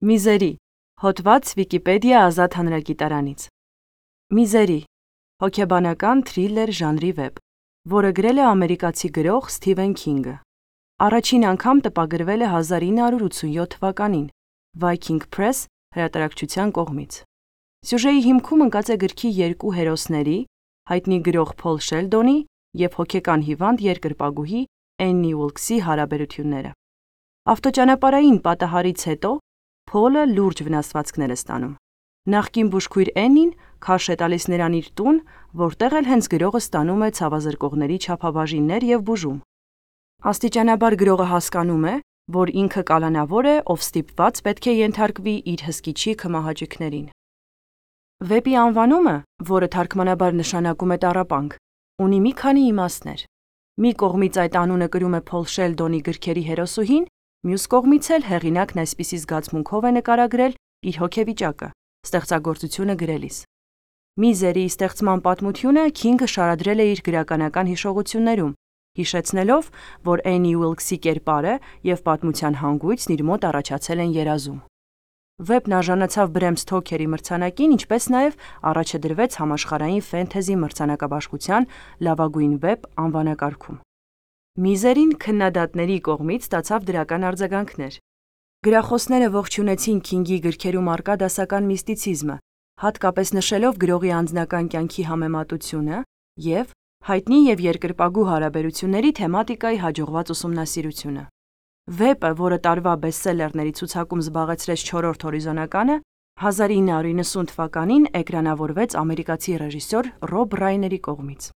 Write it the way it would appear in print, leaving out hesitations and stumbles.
Միզերի, հոդված Վիկիպեդիա ազատ հանրագիտարանից։ Միզերի, հոգեբանական թրիլլեր ժանրի վեպ, որը գրել է ամերիկացի գրող Սթիվեն Քինգը։ Առաջին անգամ տպագրվել է 1987 թվականին Viking Press հրատարակչության կողմից։ Սյուժեի հիմքում ընկած է գրքի երկու հերոսների՝ հայտնի գրող Փոլ Շելդոնի և հոգեկան հիվանդ երկրպագուհի Էննի Ուիլքսի հարաբերությունները։ Ավտոճանապարհային պատահարից հետո Փոլը լուրջ վնասվածքներ է ստանում։ Նախկին բուժքույր Էննին քարշ է տալիս նրան իր տուն, որտեղ էլ հենց գրողը ստանում է ցավազրկողների չափաբաժիններ և բուժում։ Աստիճանաբար գրողը հասկանում է, որ ինքը կալանավոր է, ով ստիպված պետք է ենթարկվի իր հսկիչի քմահաճույքներին։ Վեպի անվանումը, որը թարգմանաբար նշանակում է տառապանք, ունի մի քանի իմաստներ։ Մի կողմից այդ անունը կրում է Փոլ Շելդոնի գրքերի հերոսուհին, մյուս կողմից էլ հեղինակն այսպիսի զգացմունքով է նկարագրել իր հոգեվիճակը ստեղծագործությունը գրելիս։ Միզերի ստեղծման պատմությունը Քինգը շարադրել է իր գրականական հիշողություններում, հիշեցնելով, որ Էննի Ուիլքսի կերպարը և պատմության հանգույցն իր մոտ առաջացել են երազում։ Վեպն արժանացավ Բրեմ Սթոքերի մրցանակին, ինչպես նաև առաջ է դրվեց համաշխարհային ֆենթեզի մրցանակաբաշխության լավագույն վեպ անվանակարգում։ Միզերին քննադատների կողմից ստացավ դրական արձագանքներ։ Գրախոսները ողջունեցին Քինգի գրքերում առկա դասական միստիցիզմը, հատկապես նշելով գրողի անձնական կյանքի համեմատությունը և հայտնի և երկրպագու հարաբերությունների թեմատիկայի հաջողված ուսումնասիրությունը։ Վեպը, որը տարվա բեսթսելերների ցուցակում զբաղեցրեց 4-րդ հորիզոնականը, 1990 թվականին էկրանավորվեց ամերիկացի ռեժիսոր Ռոբ Ռայների կողմից։